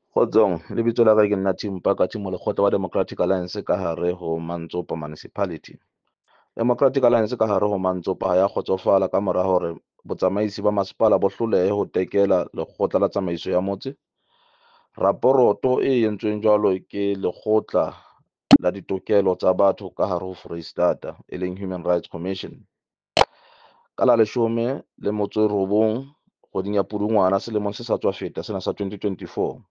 Kgotsong, lebitso la ka ke nna Tim Pakathi molekgotla wa Democratic Alliance ka hare ho Mantsopa Municipality. Democratic Alliance ka hare ho Mantsopa ha ya kgotsofala ka mora hore botsamaisi ba masepala bo hlolehe ho tekela lekgotla la tsamaiso ya motse. Raporoto e entsweng jwalo ke lekgotla la ditokelo tsa batho ka hare ho Foreisetata, e leng Human Rights Commission. Ka la 19 kgweding ya Pudungwana selemong se sa tswa feta sena sa 2024.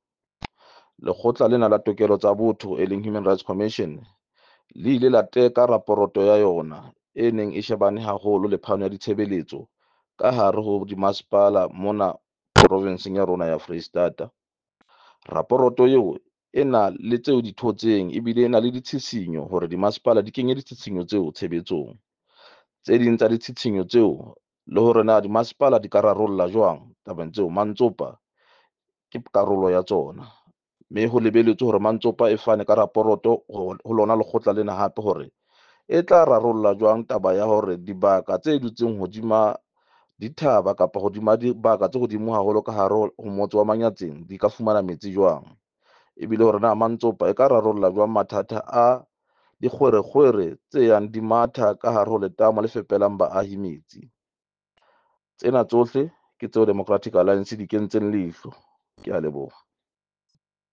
Lekgotla lena la tokelo tsa botho e leng Human Rights Commission le ile la teka raporoto ya yona e neng e shebane haholo le phano ya ditshebeletso ka hare ho dimasepala mona provinseng ya rona ya Foreisetata. Raporoto eo e na le tseo di thotseng ebile e na le ditshisinyo hore dimasepala di kenye ditshisinyo tseo tshebetsong. Tse ding tsa ditshitshinyo tseo le hore na dimasepala di ka rarolla jwang tabeng tseo, Mantsopa ke karolo ya tsona. Mme ho lebelletswe hore Mantsopa e fane ka raporoto ho lona lekgotla lena hape hore e tla rarolla jwang taba ya hore dibaka tse dutseng hodima dithaba kapa hodima dibaka tse hodimo haholo ka hare ho motse wa Manyatseng di ka fumana metsi jwang. Ebile hore na Mantsopa e ka rarolla jwang mathata a dikgwerekgwere tse yang di matha ka hare ho letamo le fepelang baahi metsi. Tsena tsohle ke tseo Democratic Alliance di kentseng leihlo. Kea leboha.